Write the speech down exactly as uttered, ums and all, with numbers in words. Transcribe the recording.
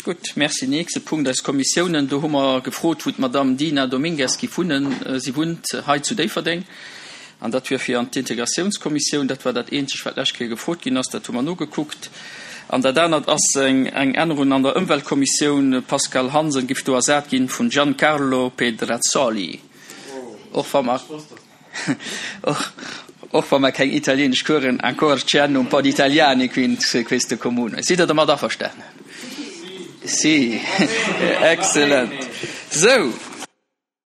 Gutt, merci. Nächste Punkt, eis Kommissiounen. Do hu mer gefrot, wou d'Madame Dina Domingues giff wunnen. Si wunnt hei zu Déifferdeng. An dat wier fir an d'Integratiounskommissioun. Dat war dat eenzegt, wat d'lescht Kéier gefrot ginn ass. Dat hu mer nogekuckt. An dat anert ass eng Ännerung an der Ëmweltkommissioun. Pascale Hansen giff do ersat ginn vun Giancarlo Pedrazzoli. Och wa mer, och wa mer keng italieenesch Coursen, ancora c'hanno un po' di italiani qui in questo comune. Sidd Der domat averstanen? Si. Excellent. Sou,